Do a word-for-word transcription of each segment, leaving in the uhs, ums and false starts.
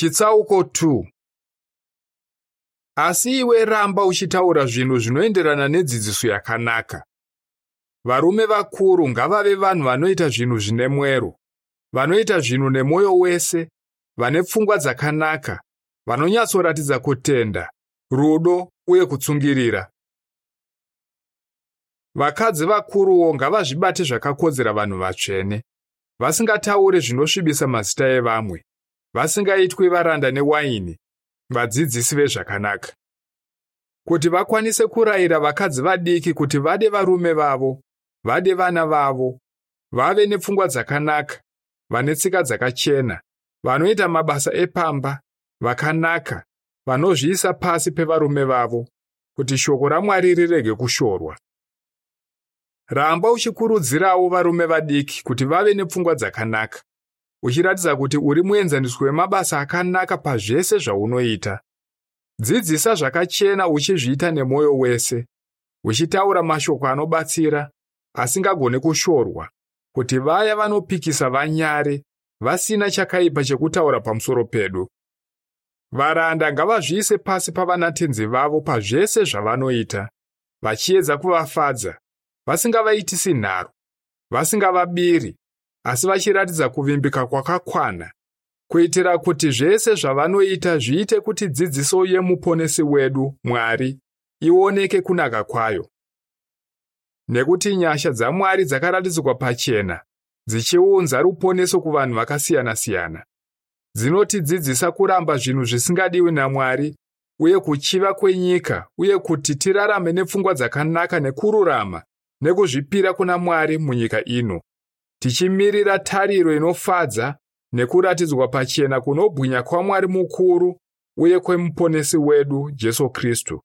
Chitsauko two. Asi iwe ramba uchitaura zvinhu zvinoenderana nedzidziso yakanaka. Varume vakuru ngavave vanhu vanoita zvinhu zvine mwero, vanoita zvinhu nemwoyo wese, vane pfungwa dzakanaka, vanonyatsoratidza kutenda, rudo uye kutsungirira. Vakadzi vakuruwo ngavazvibate zvakakodzera vanhu vatsvene, vasingatauri zvinosvibisa mazita evamwe, vasingaitwi varanda newaini, vadzidzisi vezvakanaka, kuti vakwanise kurayira vakadzi vadiki kuti vade varume vavo, vade vana vavo, vave nepfungwa dzakanaka, vane tsika dzakachena, vanoita mabasa epamba, vakanaka, vanozviisa pasi pevarume vavo, kuti shoko raMwari rirege kushorwa. Ramba uchikurudzirawo varume vadiki kuti vave nepfungwa dzakanaka, uchiratidza kuti uri muenzaniso wemabasa akanaka pazvese zvaunoita. Dzidzisa zvakachena uchizviita nemwoyo wese, uchitaura mashoko anobatsira, asingagoni kushorwa, kuti vaya vanopikisa vanyare, vasina chakaipa chekutaura pamusoro pedu. Varanda ngavazviise pasi pavanatenzi vavo pazvese zvavanoita, vachiedza kuvafadza, vasingavaitisi nharo, vasingavabiri, asi vachiratidza kuvimbika kwakakwana, kuitira kuti zvese zvavanoita zviite kuti dzidziso yemuponesi wedu, Mwari, ioneke kunaka kwayo. Nekuti nyasha dzaMwari dzakaratidzwa pachena, dzichiunza ruponeso kuvanhu vakasiyana-siyana. Dzinotidzidzisa kuramba zvinhu zvisingadiwi naMwari uye kuchiva kwenyika, uye kuti tirarame nepfungwa dzakanaka nekururama nekuzvipira kuna Mwari munyika ino, tichimirira tariro inofadza nekuratidzwa pachena kunobwinya kwaMwari mukuru uye kwemuponesi wedu Jesu Kristu,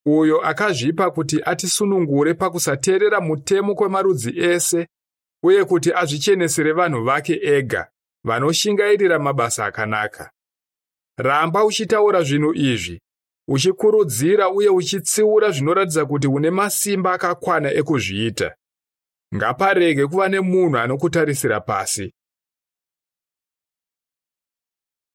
uyo akazvipa kuti atisunungure pakusateerera mutemo kwemarudzi ese uye kuti azvichenesere vanhu vake ega vanoshingairira mabasa akanaka. Ramba uchitaura zvinhu izvi, uchikurudzira uye uchitsiura zvinoratidza kuti une masimba akakwana ekuzviita. Ngaparege kuva nemunhu anokutarisira pasi.